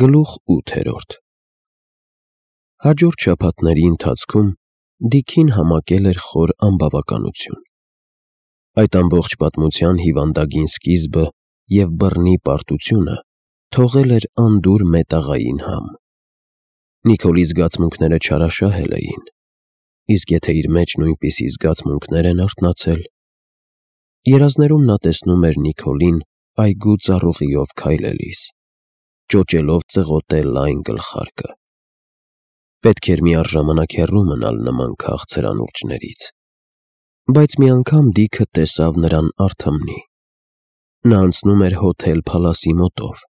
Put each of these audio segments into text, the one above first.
Գլուխ 8 Հաջորդ շաբաթների ընթացքում Դիքին համակել էր խոր անբավականություն։ Այդ ամբողջ պատմության հիվանդագին սկիզբը և բռնի պարտությունը թողել էր անդուր մետաղային համ։ Նիկոլի զգացմունքները չարաշահել էին, իսկ եթե իր մեջ նույնպիսի զգացմունքներ են արթնացել։ Երազներում նա տեսնում էր Նիկոլին այգու ծառուղիով քայլելիս, ճոճելով ծղոտե լայն գլխարկը։ Պետք էր միառժամանակ հեռու մնալ նման քաղցր անուրջներից։ Բայց մի անգամ Դիքը տեսավ նրան արթմնի։ Նա անցնում էր Հոթել Փալասի մոտով,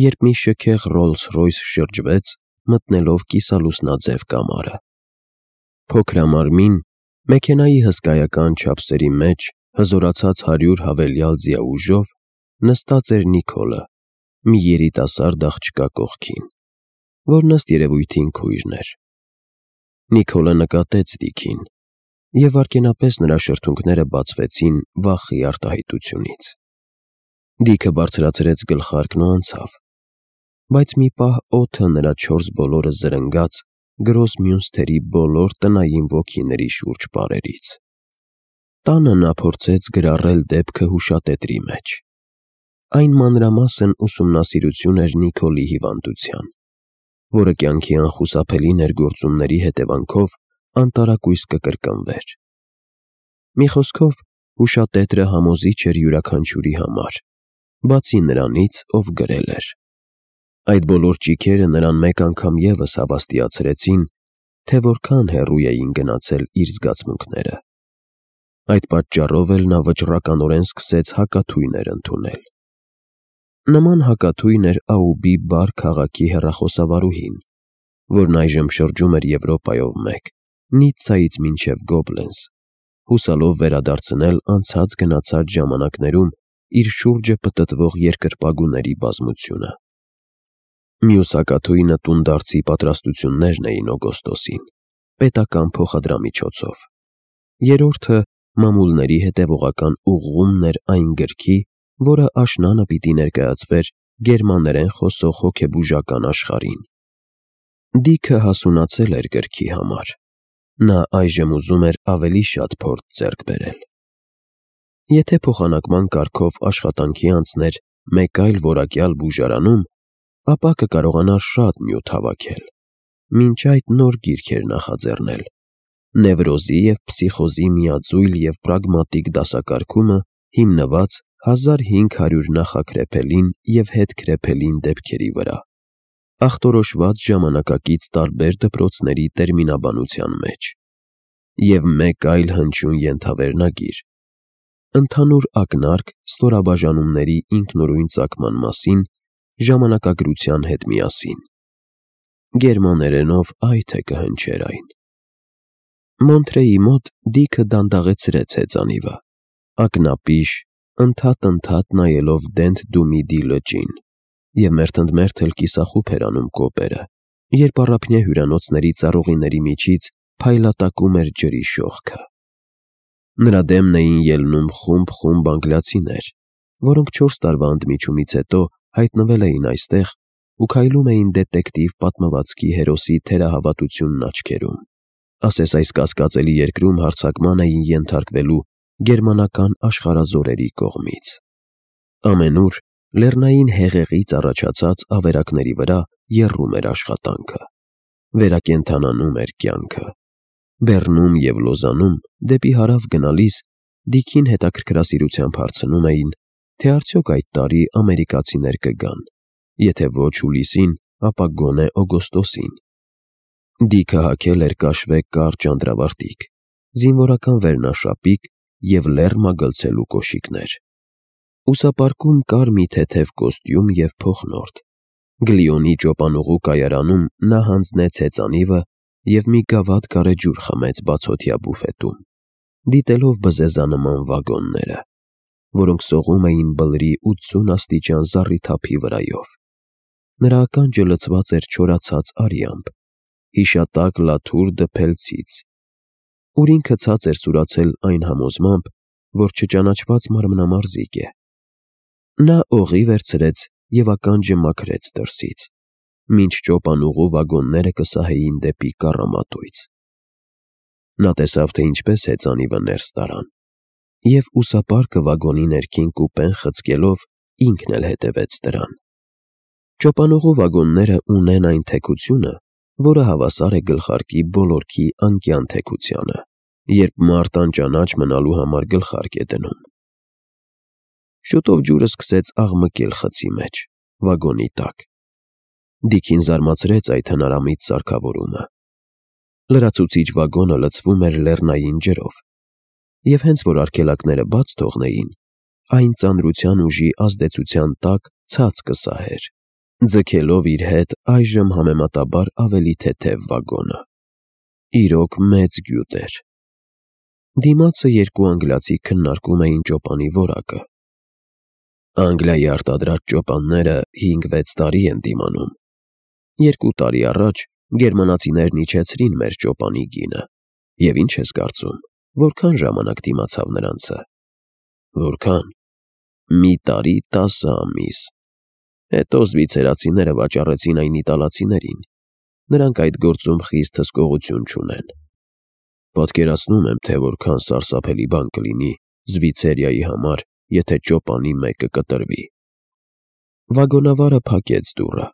երբ մի շքեղ Ռոլլս-Ռոյս շրջվեց, մտնելով կիսալուսնաձև կամարը։ Փոքրամարմին, մեքենայի հսկայական չափսերի մեջ հզորացած 100 հավելյալ ձիաուժով նստած էր Նիկոլը, մի երիտասարդ աղջկա կողքին, որն ըստ երևույթին քույրն էր։ Նիկոլը նկատեց Դիքին, և վայրկենապես նրա շրթունքները բացվեցին վախի արտահայտությունից։ Դիքը բարձրացրեց գլխարկն ու անցավ, բայց մի պահ օդը նրա չորս բոլորը զրնգաց Գրոսմյունսթերի բոլոր տնային ոգիների շուրջ պարերից։ Տանը նա փորձեց գրառել դեպքը հուշատետրի մեջ։ Այն մանրամասն ուսումնասիրություն էր Նիկոլի հիվանդության, որը կյանքի անխուսափելի ներգործումների հետևանքով անտարակույս կկրկնվեր։ Մի խոսքով, հուշատետրը համոզիչ էր յուրաքանչյուրի համար, բացի նրանից, ով գրել էր։ Այդ բոլոր ճիգերը նրան մեկ անգամ ևս հավաստիացրեցին, թե որքան հեռու էին գնացել իր զգացմունքները։ Այդ պատճառով էլ նա վճռականորեն սկսեց հակաթույներ ընդունել։ Նման հակաթույն էր Աուբի Բար քաղաքի հեռախոսավարուհին, որն այժմ շրջում էր Եվրոպայով մեկ, Նիցցայից մինչև Գոբլենս, հուսալով վերադարձնել անցած-գնացած ժամանակներում իր շուրջը պտտվող երկրպագուների բազմությունը։ Մյուս հակաթույնը տունդարձի պատրաստություններն էին օգոստոսին, պետական փոխադրամիջոցով։ Երրորդը մամուլների հետևողական ուղղումն էր այն գրքի, որը աշնանը պիտի ներկայացվեր գերմաներեն խոսող հոգեբուժական աշխարհին։ Դիքը հասունացել էր գրքի համար։ Նա այժմ ուզում էր ավելի շատ փորձ ձեռք բերել։ Եթե փոխանակման կարգով աշխատանքի անցներ մեկ այլ որակյալ բուժարանում, ապա կկարողանար շատ նյութ հավաքել։ Մինչ այդ նոր գիրք էր նախաձեռնել. Նևրոզի և փսիխոզի միաձույլ և պրագմատիկ դասակարգումը, հիմնված 1500 նախաքրեփելին և հետքրեփելին դեպքերի վրա, ախտորոշված ժամանակակից տարբեր դպրոցների տերմինաբանության մեջ, և մեկ այլ հնչյուն ենթավերնագիր. Ընդհանուր ակնարկ ստորաբաժանումների ինքնուրույն ծագման մասին ժամանակագրության հետ միասին։ Գերմաներենով այ թե կհնչեր այն։ Մոնթրեի մոտ Դիքը դանդաղեցրեց հեծանիվը, ակնապիշ, ընդհատ նայելով Դենթ-Դումիդի լճին, և մերթընդմերթ էլ կիսախուփ էր անում կոպերը, երբ առափնյա հյուրանոցների ծառուղիների միջից փայլատակում էր ջրի շողքը։ Նրա դեմն էին ելնում խումբ անգլիացիներ, որոնք 4 տարվա ընդմիջումից հետո հայտնվել էին այստեղ ու քայլում էին դետեկտիվ պատմվածքի հերոսի թերահավատությունն աչքերում, ասես այս կասկածելի երկրում հարձակման էին ենթարկվելու գերմանական աշխարհազորերի կողմից։ Ամենուր լեռնային հեղեղից առաջացած ավերակների վրա եռում էր աշխատանքը, վերակենդանանում էր կյանքը։ Բեռնում և Լոզանում դեպի հարավ գնալիս Դիքին հետաքրքրասիրությամբ հարցնում էին, թե արդյոք այդ տարի ամերիկացիներ կգան, եթե ոչ հուլիսին, ապա գոնե օգոստոսին։ Դիքը հագել էր կաշվե կարճ անդրավարտիք, զինվորական վերնաշապիկ և լեռ մագլցելու կոշիկներ։ Ուսապարկում կար մի թեթև կոստյում և փոխնորդ։ Գլիոնի ճոպանուղու կայարանում նա հանձնեց հեծանիվը և մի գավաթ գարեջուր խմեց բացօթյա բուֆետում, դիտելով բզեզանման վագոնները, որոնք սողում էին բլրի 80 աստիճան զառիթափի վրայով։ Նրա ականջը լցված էր չորացած արյամբ, հիշատակ լաթուր դփելցից, ուր ինքը ցած էր սուրացել այն համոզմամբ, որ չճանաչված մարմնամարզիկ է։ Նա օղի վերցրեց և ականջը մաքրեց դրսից, մինչ ճոպանուղու վագոնները կսահեին դեպի կառամատույց։ Նա տեսավ, թե ինչպես հեծանիվը ներս տարան, և ուսապարկը վագոնի ներքին կուպեն խցկելով ինքն էլ հետևեց դրան։ Ճոպանուղու վագոնները ունեն այն թեքությունը, որը հավասար է գլխարկի բոլորքի անկյան թեքությանը, երբ մարդ անճանաչ մնալու համար գլխարկ է դնում։ Շուտով ջուրը սկսեց աղմկել խցի մեջ, վագոնի տակ։ Դիքին զարմացրեց այդ հնարամիտ սարքավորումը։ Լրացուցիչ վագոնը լցվում էր լեռնային ջրով, և հենց որ արգելակները բաց թողնեին, այն ծանրության ուժի ազդեցության տակ ցած կսահեր, ձգելով իր հետ այժմ համեմատաբար ավելի թեթև վագոնը։ Իրոք մեծ գյուտ էր։ Դիմացը երկու անգլիացի քննարկում էին ճոպանի որակը։ Անգլիայի արտադրած ճոպանները 5-6 տարի են դիմանում։ 2 տարի առաջ գերմանացիներն իջեցրին մեր ճոպանի գինը, և ինչ ես կարծում, որքան ժամանակ դիմացավ նրանցը։ Որքան։ Մի տարի 10 ամիս։ Հետո զվիցերացիները վաճառեցին այն իտալացիներին։ Նրանք այդ գործում խիստ հսկողություն չունեն։ Պատկերացնում եմ, թե որքան սարսափելի բան կլինի Զվիցերիայի համար, եթե ճոպանի մեկը կտրվի։ Վագոնավարը փակեց դուռը,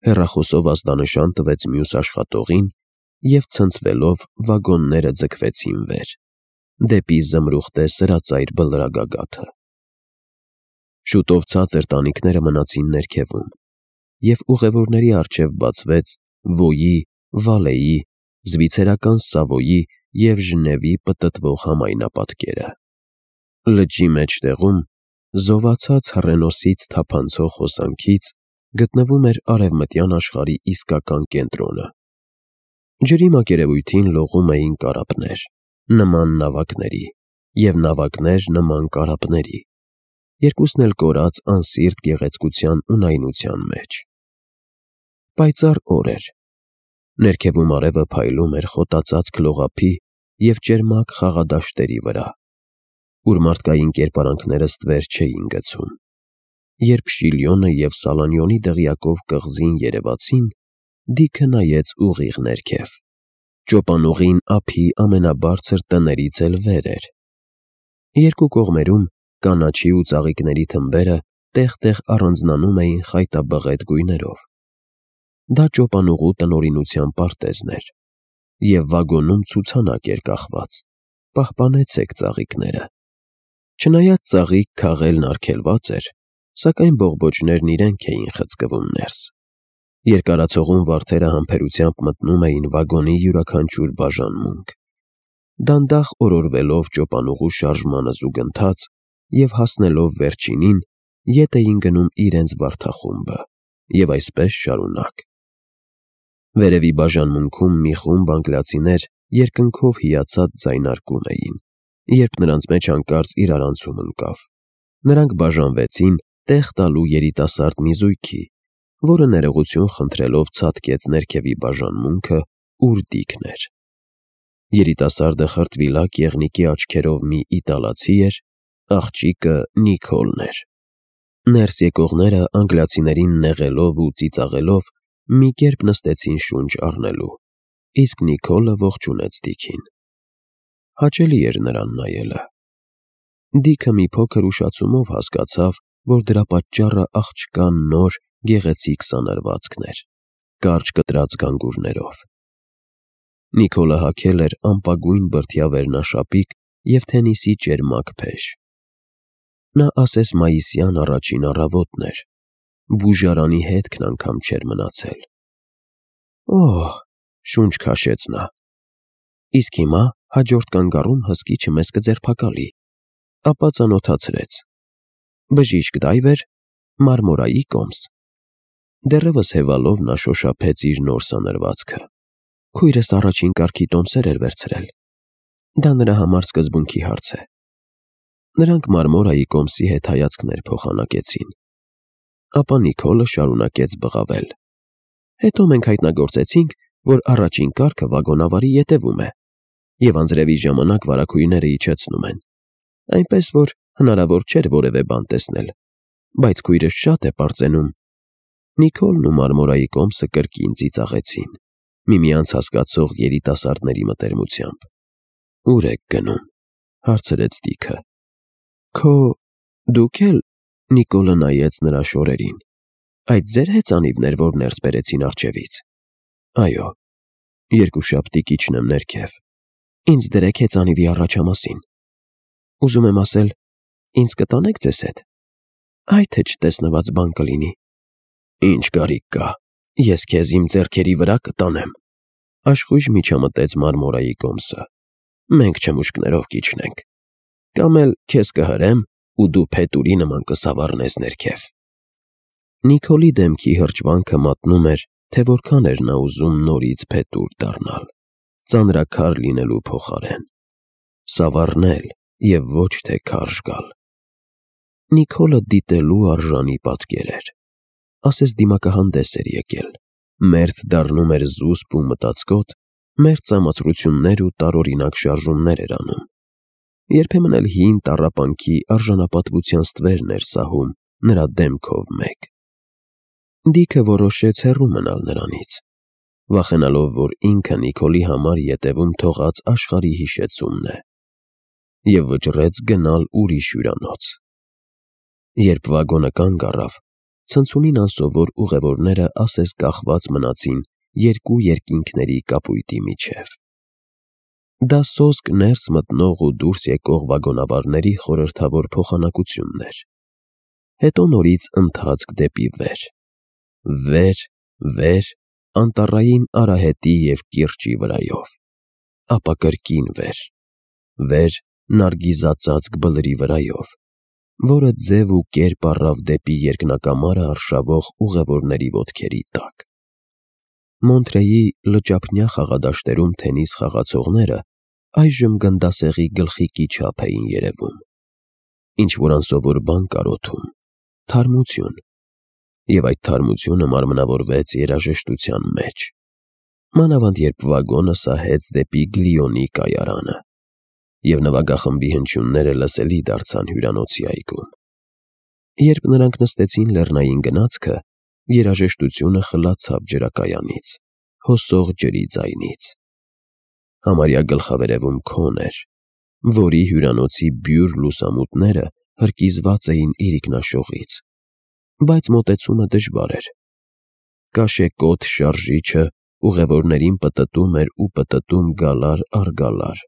հեռախոսով ազդանշան տվեց մյուս աշխատողին, և ցնցվելով վագոնները ձգվեցին վեր, դեպի զմրուխտե սրածայր բլրագագաթը։ Շուտով ցածր տանիքները մնացին ներքևում, և ուղևորների առջև բացվեց Վոյի, Վալեի, զվիցերական Սավոյի և Ժնևի պտտվող համայնապատկերը։ Լճի մեջտեղում, զովացած հռենոսից թափանցող հոսանքից, գտնվում էր արևմտյան աշխարհի իսկական կենտրոնը։ Ջրի մակերևույթին լողում էին կարապներ, նման նավակների, և նավակներ նման կարապների, երկուսն էլ կորած անսիրտ գեղեցկության ու նայնության մեջ։ Պայծառ օր էր։ Ներքևում արևը փայլում էր խոտածածկ լողափի և ճերմակ խաղադաշտերի վրա, ուր մարդկային կերպարանքները ստվեր չէին գցում։ Երբ Շիլյոնը և Սալանյոնի դղյակով կղզին երևացին, Դիքը նայեց ուղիղ ներքև։ Ճոպանուղին ափի ամենաբարձր տներից էլ վեր էր։ Երկու կողմերում կանաչի ու ծաղիկների թմբերը տեղ-տեղ առանձնանում էին խայտաբղետ գույներով։ Դա ճոպանուղու տնօրինության պարտեզն էր, և վագոնում ցուցանակ էր կախված. «Պահպանեցեք ծաղիկները»։ Չնայած ծաղիկ քաղելն արգելված էր, սակայն բողբոջներն իրենք էին խցկվում ներս։ Երկարացողուն վարդերը համբերությամբ մտնում էին վագոնի յուրաքանչյուր բաժանմունք, դանդաղ օրորվելով ճոպանուղու շարժմանը զուգընթաց, և հասնելով վերջինին, ետ էին գնում իրենց վարդախումբը, և այսպես շարունակ։ Վերևի բաժանմունքում մի խումբ անգլիացիներ երկնքով հիացած ձայնարկում էին, երբ նրանց մեջ հանկարծ իրարանցում ընկավ։ Նրանք բաժանվեցին տեղ տալու երիտասարդ մի զույգի, որը ներողություն խնդրելով ցատկեց ներքևի բաժանմունքը, ուր Դիքն էր։ Երիտասարդը խրտվիլակ եղնիկի աչքերով մի իտալացի էր, աղջիկը Նիկոլն էր։ Ներս եկողները անգլիացիներին նեղելով ու ծիծաղելով մի կերպ նստեցին շունչ առնելու, իսկ Նիկոլը ողջունեց Դիքին։ Հաճելի էր նրան նայելը։ Դիքը մի փոքր ուշացումով հասկացավ, որ դրա պատճառը աղջկա նոր, գեղեցիկ սանրվածքն էր, կարճ կտրած գանգուրներով։ Նիկոլը հագել էր ամպագույն բրդյա վերնաշապիկ և թենիսի ճերմակ փեշ։ Նա ասես մայիսյան առաջին առավոտն էր, բուժարանի հետքն անգամ չէր մնացել։ «Օհ», շունչ քաշեց նա, «իսկ հիմա հաջորդ կանգառում հսկիչը մեզ կձերբակալի»։ Ապա ծանոթացրեց. «Բժիշկ Դայվեր, Մարմորայի կոմս»։ Դեռևս հևալով նա շոշափեց իր նոր սանրվածքը։ Քույրս առաջին կարգի տոմսեր էր վերցրել։ Դա նրա համար սկզբունքի հարց է։ Նրանք Մարմորայի կոմսի հետ հայացքներ փոխանակեցին։ Ապա Նիկոլը շարունակեց բղավել. «Հետո մենք հայտնագործեցինք, որ առաջին կարգը վագոնավարի ետևում է, և անձրևի ժամանակ վարագույրները իջեցնում են, այնպես որ հնարավոր չէր որևէ բան տեսնել, բայց քույրս շատ է պարծենում»։ Նիկոլն ու Մարմորայի կոմսը կրկին ծիծաղեցին, միմյանց հասկացող երիտասարդների մտերմությամբ։ «Ուր եք գնում», հարցրեց Դիքը։ Դուք էլ, Նիկոլը նայեց նրա շորերին, այդ ձեր հեծանիվն էր, որ ներս բերեցին առջևից։ Այո, երկուշաբթի կիջնեմ ներքև։ Ինձ դրեք հեծանիվի առաջամասին։ Ուզում եմ ասել, ինձ կտանեք ձեզ հետ։ Այ թե չտեսնված բան կլինի։ Ինչ կարիք կա, ես քեզ իմ ձեռքերի վրա կտանեմ։ Աշխույժ միջամտեց Մարմորայի կոմսը։ Մենք չմուշկներով կիջնենք։ Կամ էլ քեզ կհրեմ ու դու փետուրի նման կսավառնես ներքև։ Նիկոլի դեմքի հրճվանքը մատնում էր, թե որքան էր նա ուզում նորից փետուր դառնալ, ծանրաքար լինելու փոխարեն։ Սավառնել և ոչ թե քարշ գալ։ Նիկոլը դիտելու արժանի պատկեր էր։ Ասես դիմակահանդես էր եկել, մերթ դառնում էր զուսպ ու մտածկոտ, մերթ ծամացրություններ ու տարօրինակ շարժումներ էր անում։ Երբեմն էլ հին տառապանքի արժանապատվության ստվերն էր սահում նրա դեմքով մեկ։ Դիքը որոշեց հեռու մնալ նրանից, վախենալով, որ ինքը Նիկոլի համար ետևում թողած աշխարհի հիշեցումն է, և վճռեց գնալ ուրիշ հյուրանոց։ Երբ վագոնը կանգ առավ, ցնցումին անսովոր ուղևորները ասես կախված մնացին երկու երկինքների կապույտի միջև։ Դա սոսկ ներս մտնող ու դուրս եկող վագոնավարների խորհրդավոր փոխանակությունն էր։ Հետո նորից ընթացք դեպի վեր, վեր, անտառային արահետի և կիրճի վրայով, ապա կրկին վեր, նարգիզածածկ բլրի վրայով, որը ձև ու կերպ առավ դեպի երկնակամարը արշավող ուղևորների ոտքերի տակ։ Մոնտրեի լճափնյա խաղադաշտերում թենիս խաղացողները այժմ գնդասեղի գլխիկի չափ էին երևում։ Ինչ-որ անսովոր բան կար օդում, թարմություն, և այդ թարմությունը մարմնավորվեց երաժշտության մեջ, մանավանդ երբ վագոնը սահեց դեպի Գլիոնի կայարանը, և նվագախմբի հնչյունները լսելի դարձան հյուրանոցի այգում։ Երբ նրանք նստեցին լեռնային գնացքը, երաժշտությունը խլացավ ջրակայանից, հոսող ջրի ձայնից։ Համարյա գլխավերևում քոն էր, որի հյուրանոցի բյուր լուսամուտները հրկիզված էին իրիկնաշողից, բայց մոտեցումը դժվար էր։ Կաշեկոտ շարժիչը ուղևորներին պտտում էր ու պտտում գալար առ գալար,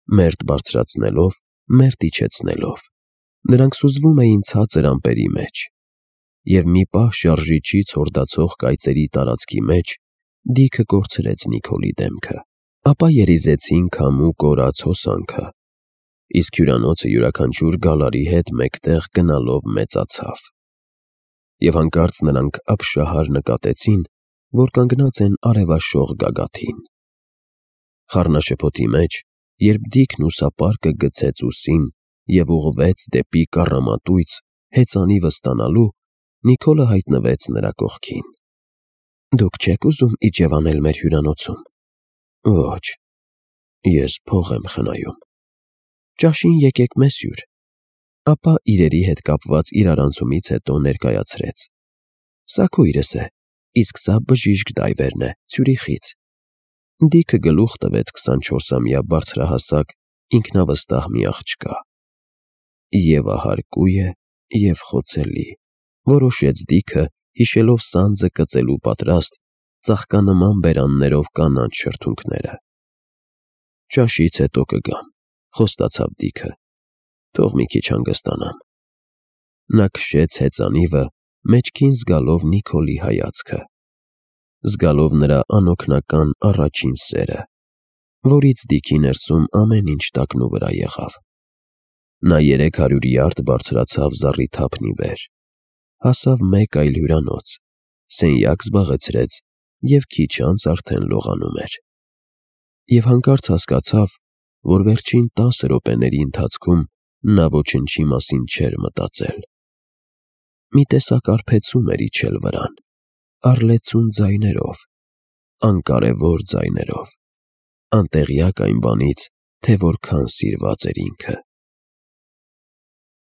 մերթ բարձրացնելով, մերթ իջեցնելով։ Նրանք սուզվում էին ցածր ամպերի մեջ, և մի պահ շարժիչի ցորդացող կայծերի տարածքի մեջ Դիքը կորցրեց Նիկոլի դեմքը, ապա երիզեցին քամու կորացած հոսանքը, իսկ հյուրանոցը յուրաքանչյուր գալարի հետ մեկտեղ գնալով մեծացավ։ Եվ հանկարծ նրանք ապշահար նկատեցին, որ կանգնած են արևաշող գագաթին։ Խառնաշփոթի մեջ, երբ Դիքն ուսապարկը գցեց ուսին և ուղղվեց դեպի կառամատույց հեծանիվը ստանալու, Նիկոլը հայտնվեց նրա կողքին։ Դուք չե՞ք ուզում իջևանել մեր հյուրանոցում։ Ոչ, ես փող եմ խնայում։ Ճաշին եկեք մեզ հյուր։ Ապա իրերի հետ կապված իրարանցումից հետո ներկայացրեց. Սա քույրս է, իսկ սա բժիշկ Դայվերն է, Ցյուրիխից։ Դիքը գլուխ տվեց 24-ամյա բարձրահասակ, ինքնավստահ մի աղջկա։ Եվ ահարկու է, և խոցելի, որոշեց Դիքը, հիշելով սանձը կծելու պատրաստ ծաղկանման բերաններով կանաչ շրթունքները։ Ճաշից հետո կգամ, խոստացավ Դիքը, թող մի քիչ հանգստանամ։ Նա քշեց հեծանիվը, մեջքին զգալով Նիկոլի հայացքը, զգալով նրա անօգնական առաջին սերը, որից Դիքի ներսում ամեն ինչ տակնուվրա եղավ։ Նա 300 յարդ բարձրացավ զառիթափնի վեր, հասավ մեկ այլ հյուրանոց, սենյակ զբաղեցրեց և քիչ անց արդեն լողանում էր։ Եվ հանկարծ հասկացավ, որ վերջին 10 րոպեների ընթացքում նա ոչնչի մասին չէր մտածել։ Մի տեսակ արբեցում էր իջել վրան, առլեցուն ձայներով, անկարևոր ձայներով, անտեղյակ այն բանից, թե որքան սիրված էր ինքը։